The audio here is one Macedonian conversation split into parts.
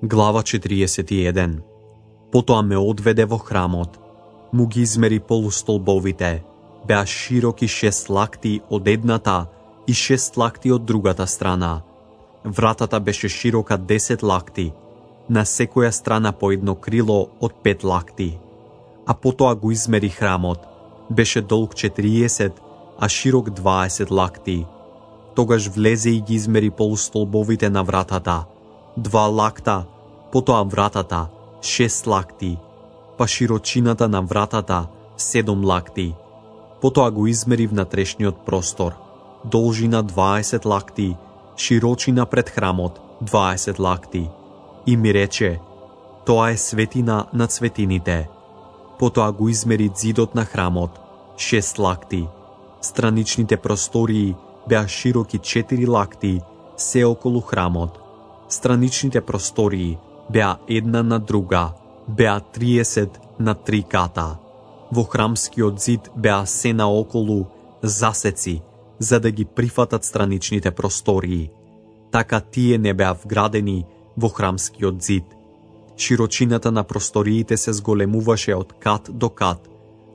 Глава 41. Потоа ме одведе во храмот. Му ги измери полустолбовите. Беа широки 6 лакти од едната и 6 лакти од другата страна. Вратата беше широка 10 лакти, на секоја страна по едно крило од 5 лакти. А потоа го измери храмот. Беше долг 40, а широк 20 лакти. Тогаш влезе и ги измери полустолбовите на вратата. 2 лакта, потоа вратата 6 лакти, па широчината на вратата 7 лакти. Потоа го измери внатрешниот простор. Должина 20 лакти, широчина пред храмот 20 лакти. И ми рече: тоа е светина на светините. Потоа го измери зидот на храмот 6 лакти. Страничните простории беа широки 4 лакти, се околу храмот. Страничните простории беа една на друга, беа 30 на 3 ката. Во храмскиот зид беа се наоколу засеци, за да ги прифатат страничните простории. Така тие не беа вградени во храмскиот зид. Широчината на просториите се зголемуваше од кат до кат,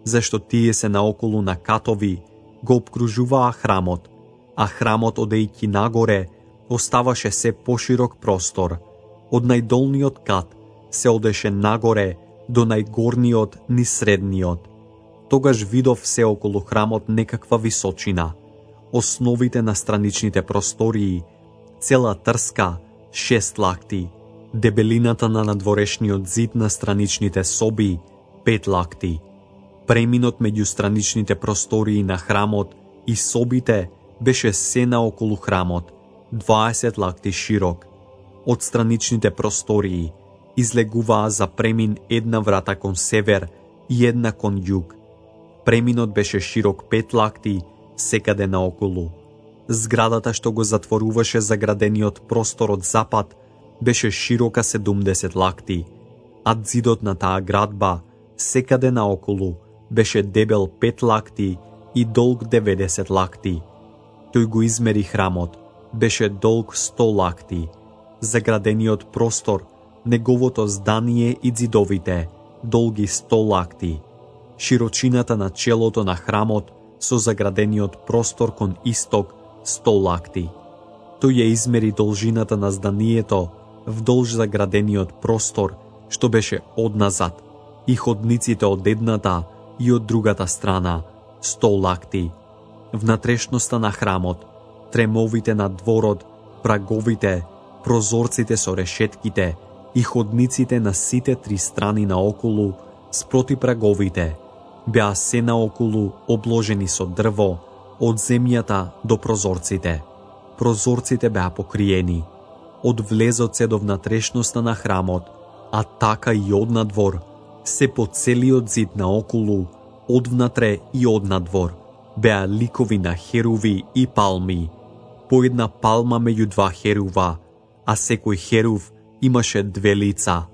зашто тие се наоколу на катови го обкружуваа храмот, а храмот одејќи нагоре оставаше се поширок простор. Од најдолниот кат се одеше нагоре до најгорниот низ средниот. Тогаш видов се околу храмот некаква височина. Основите на страничните простории, цела трска 6 лакти, дебелината на надворешниот зид на страничните соби 5 лакти. Преминот меѓу страничните простории на храмот и собите беше се наоколу храмот, 20 лакти широк. Од страничните простории излегуваа за премин една врата кон север и една кон југ. Преминот беше широк 5 лакти секаде наоколу. Зградата што го затворуваше заградениот простор од запад беше широка 70 лакти, а зидот на таа градба секаде наоколу беше дебел 5 лакти и долг 90 лакти. Тој го измери храмот, беше долг 100 лакти. Заградениот простор, неговото здание и зидовите, долги 100 лакти. Широчината на челото на храмот со заградениот простор кон исток 100 лакти. Тој ја измери должината на зданието вдолж заградениот простор, што беше одназад, и ходниците од едната и од другата страна 100 лакти. Внатрешноста на храмот, тремовите на дворот, праговите, прозорците со решетките и ходниците на сите 3 страни наоколу спроти праговите беа се наоколу обложени со дрво од земјата до прозорците. Прозорците беа покриени. Од влезот се до внатрешноста на храмот, а така и од надвор, се по целиот зид наоколу, од внатре и од надвор, беа ликови на херуви и палми, по една палма меѓу 2 херува, а секој херув имаше 2 лица.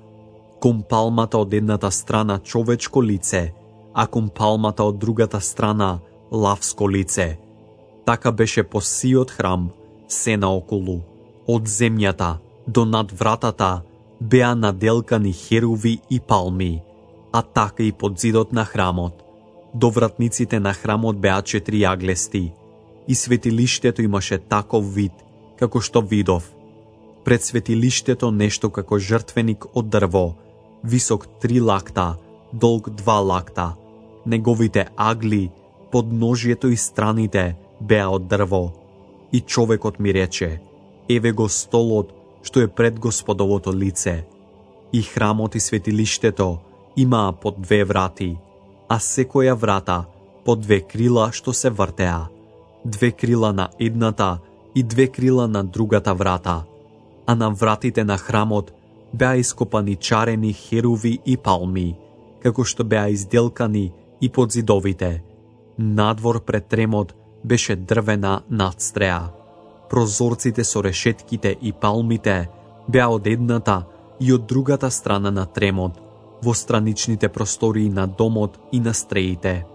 Кон палмата од едната страна човечко лице, а кон палмата од другата страна лавско лице. Така беше по сиот храм се наоколу. Од земјата до над вратата беа наделкани херуви и палми, а така и под зидот на храмот. До вратниците на храмот беа 4 јаглести, и светилиштето имаше таков вид, како што видов. Пред светилиштето нешто како жртвеник од дрво, висок 3 лакта, долг 2 лакта. Неговите агли, подножието и страните беа од дрво. И човекот ми рече: еве го столот што е пред Господовото лице. И храмот и светилиштето имаа по 2 врати, а секоја врата по 2 крила што се вртеа. 2 крила на едната и 2 крила на другата врата. А на вратите на храмот беа ископани чарени херуви и палми, како што беа изделкани и под зидовите. Надвор пред тремот беше дрвена надстреа. Прозорците со решетките и палмите беа од едната и од другата страна на тремот, во страничните простории на домот и на стреите.